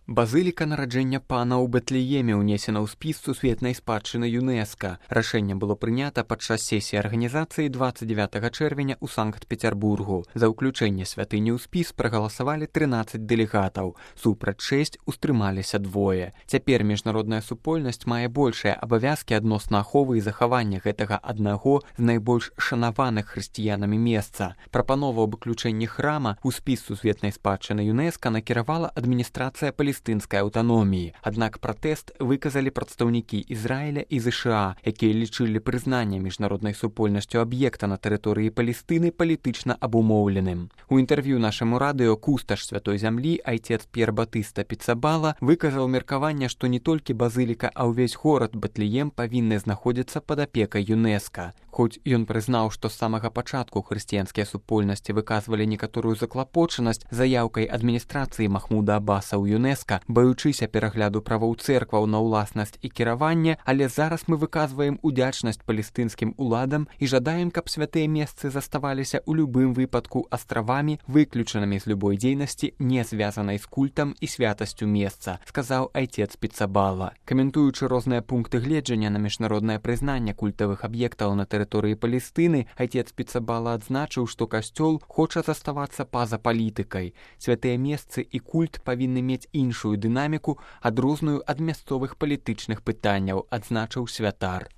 Базыліка нараджэння пана ў Бэтлееме ўнесена ў спіс сусветнай спадчыны ЮНЕСКА. Рашэнне было прынята падчас сесіі арганізацыі 29 чэрвеня ў Санкт-Петербургу. За ўключэнне святыні ў спіс прагаласавалі 13 дэлегатаў. Супраць 6 устрымаліся 2. Цяпер міжнародная супольнасць мае большыя абавязкі адносна аховы і захавання гэтага аднаго з найбольш шанаваных хрысціянамі месца. Прапанову аб уключэнні храма ў спіс сусветнай спадчыны ЮНЕСКА накіравала адміністрацыя палестынскай аўтаноміі. Аднак пратэст выказалі прадстаўнікі Ізраіля і ЗША, якія лічылі прызнанне міжнароднай супольнасцю аб'екта на тэрыторыі Палестыны палітычна абумоўленым. У інтэрв'ю нашаму радыё кусташ святой зямлі айцец П'ер Батыста Піцабала выказаў меркаванне, што не толькі базыліка, а ўвесь горад Бэтлеем павінны знаходзіцца пад апекай ЮНЕСКА. Хоць ён прызнаў, што з самага пачатку хрысціянскія супольнасці выказвалі некаторую заклапочанасць заяўкай адміністрацыі Махмуда Аббаса ў ЮНЕСКА, баючыся перагляду правоў цэркваў на ўласнасць і кіраванне, але зараз мы выказваем удзячнасць палестынскім уладам і жадаем, каб святыя месцы заставаліся ў любым выпадку астравамі, выключанымі з любой дзейнасці, не звязанай з культам і святасцю месца, сказаў айцец Піцабала. Каментуючы розныя пункты гледжання на міжнароднае прызнанне культавых аб'ектаў на тэрыторыі Палестыны, айцец Піцабала адзначыў, што касцёл хоча заставацца па-за палітыкай. Святыя месцы і культ павінны мець іншую дынаміку, адрозную ад мясцовых палітычных пытанняў, адзначыў святар.